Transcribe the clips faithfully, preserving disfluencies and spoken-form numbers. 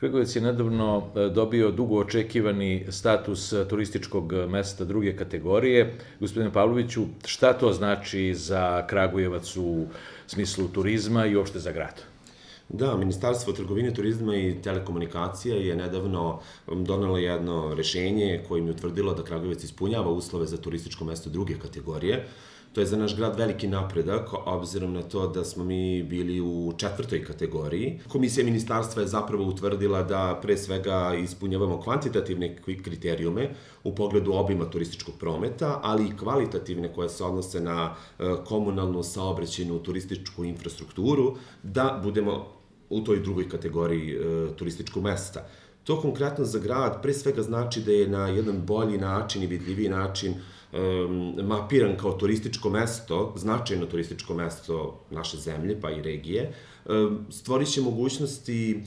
Kragujevac je nedavno dobio dugo očekivani status turističkog mesta druge kategorije. Gospodine Pavloviću, šta to znači za Kragujevac u smislu turizma i uopšte za grad? Da, Ministarstvo trgovine, turizma i telekomunikacija je nedavno donelo jedno rešenje kojim je utvrdilo da Kragujevac ispunjava uslove za turističko mesto druge kategorije. To je za naš grad veliki napredak, obzirom na to da smo mi bili u četvrtoj kategoriji. Komisija ministarstva je zapravo utvrdila da pre svega ispunjavamo kvantitativne kriterijume u pogledu obima turističkog prometa, ali i kvalitativne koje se odnose na komunalnu, saobraćajnu, turističku infrastrukturu, da budemo u toj drugoj kategoriji turističkog mesta. To konkretno za grad pre svega znači da je na jedan bolji način i vidljiviji način mapiran kao turističko mesto, značajno turističko mesto naše zemlje, pa i regije, stvorit će mogućnosti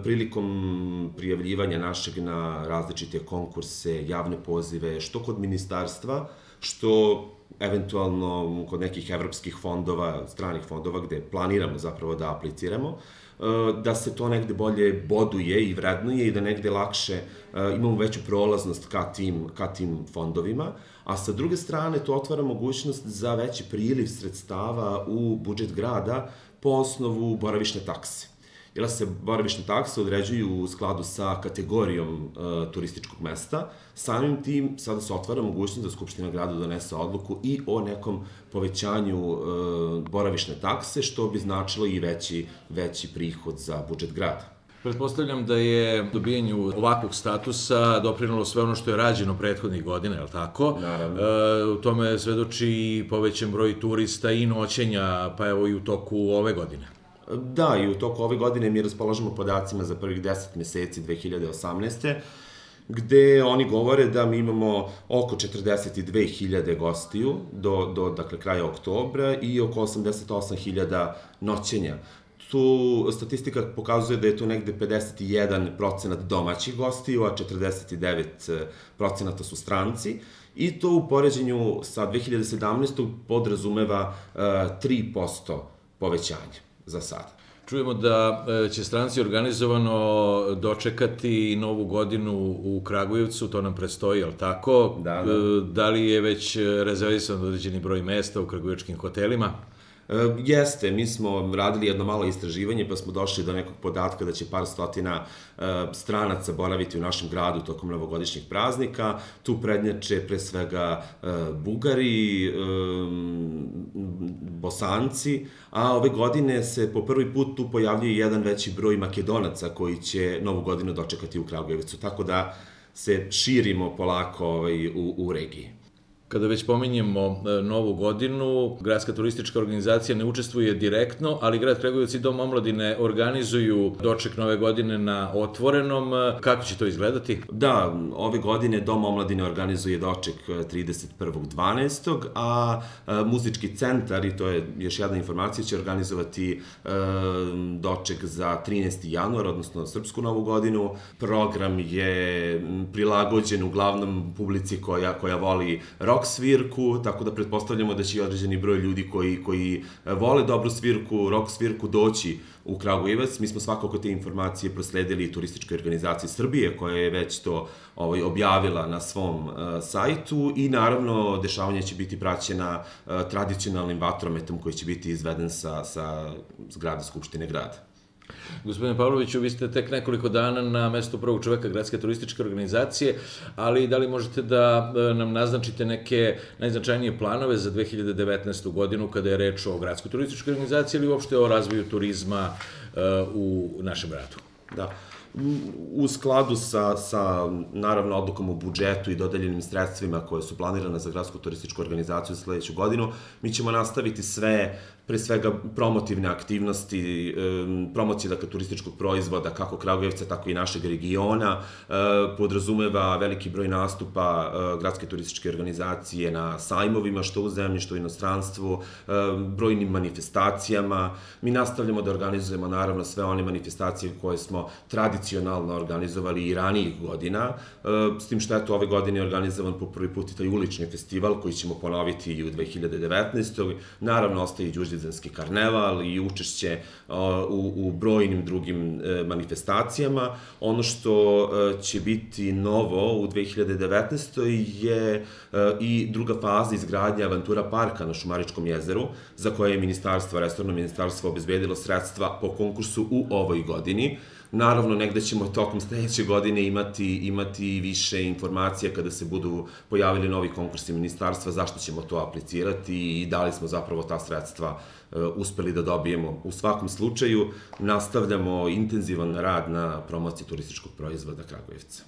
prilikom prijavljivanja našeg na različite konkurse, javne pozive, što kod ministarstva, što eventualno kod nekih evropskih fondova, stranih fondova, gde planiramo zapravo da apliciramo, da se to negde bolje boduje i vrednuje i da negde lakše imamo veću prolaznost ka tim, ka tim fondovima, a sa druge strane to otvara mogućnost za veći priliv sredstava u budžet grada po osnovu boravišne takse. Jer se boravišne takse određuju u skladu sa kategorijom e, turističkog mesta, samim tim sada se otvara mogućnost da Skupština grada donese odluku i o nekom povećanju e, boravišne takse, što bi značilo i veći, veći prihod za budžet grada. Pretpostavljam da je dobijanju ovakvog statusa doprinalo sve ono što je rađeno prethodnih godina, je li tako? Naravno. E, u tome svedoči i povećan broj turista i noćenja, pa evo i u toku ove godine. Da, i u toku ove godine mi raspolažemo podacima za prvih deset meseci dve hiljade osamnaeste. gde oni govore da mi imamo oko četrdeset dve hiljade gostiju do, do dakle, kraja oktobra i oko osamdeset osam hiljada noćenja. Tu statistika pokazuje da je tu negde pedeset jedan procenat domaćih gostiju, a četrdeset devet procenata su stranci. I to u poređenju sa dve hiljade sedamnaestom podrazumeva uh, tri posto povećanja za sada. Čujemo da će stranci organizovano dočekati Novu godinu u Kragujevcu, to nam predstoji, ali tako? Da, da. Da li je već rezervisan određeni broj mesta u kragujevačkim hotelima? Jeste, mi smo radili jedno malo istraživanje pa smo došli do nekog podatka da će par stotina stranaca boraviti u našem gradu tokom novogodišnjih praznika. Tu prednjače pre svega Bugari, Bosanci, a ove godine se po prvi put tu pojavljuje jedan veći broj Makedonaca koji će Novu godinu dočekati u Kragujevcu, tako da se širimo polako ovaj, u, u regiji. Kada već pominjemo Novu godinu, Gradska turistička organizacija ne učestvuje direktno, ali grad Kragujevac i Dom omladine organizuju doček Nove godine na otvorenom. Kako će to izgledati? Da, ove godine Dom omladine organizuje doček trideset prvog dvanaestog a muzički centar, i to je još jedna informacija, će organizovati e, doček za trinaesti januar, odnosno Srpsku Novu godinu. Program je prilagođen uglavnom publici koja, koja voli rock svirku, tako da pretpostavljamo da će i određeni broj ljudi koji, koji vole dobru svirku, rock svirku doći u Kragujevac. Mi smo svakako te informacije prosledili turističkoj organizaciji Srbije, koja je već to ovaj, objavila na svom uh, sajtu i naravno dešavanje će biti praćena uh, tradicionalnim vatrometom koji će biti izveden sa, sa zgrade Skupštine grada. Gospodine Pavloviću, vi ste tek nekoliko dana na mestu prvog čoveka Gradske turističke organizacije, ali da li možete da nam naznačite neke najznačajnije planove za dve hiljade devetnaestu godinu kada je reč o Gradskoj turističkoj organizaciji ili uopšte o razvoju turizma u našem gradu? Da. U skladu sa, sa, naravno, odlukom o budžetu i dodeljenim sredstvima koje su planirane za Gradsku turističku organizaciju za sledeću godinu, mi ćemo nastaviti sve, pre svega, promotivne aktivnosti, promocije, dakle, turističkog proizvoda, kako Kragujevca, tako i našeg regiona, podrazumeva veliki broj nastupa Gradske turističke organizacije na sajmovima, što u zemlji, što u inostranstvu, brojnim manifestacijama. Mi nastavljamo da organizujemo, naravno, sve one manifestacije koje smo tradicionalno organizovali i ranijih godina, s tim što je to ove godine organizovan po prvi put i taj ulični festival koji ćemo ponoviti i u dve hiljade devetnaestoj. Naravno, ostaje i Đurđevdan Vidovdanski karneval i učešće u, u brojnim drugim manifestacijama. Ono što će biti novo u dve hiljade devetnaestoj je i druga faza izgradnje Avantura parka na Šumaričkom jezeru, za koje je ministarstvo, resorno ministarstvo obezbedilo sredstva po konkursu u ovoj godini. Naravno, negde ćemo tokom sledeće godine imati, imati više informacija kada se budu pojavili novi konkursi ministarstva, zašto ćemo to aplicirati i da li smo zapravo ta sredstva uspeli da dobijemo. U svakom slučaju, nastavljamo intenzivan rad na promociji turističkog proizvoda Kragujevca.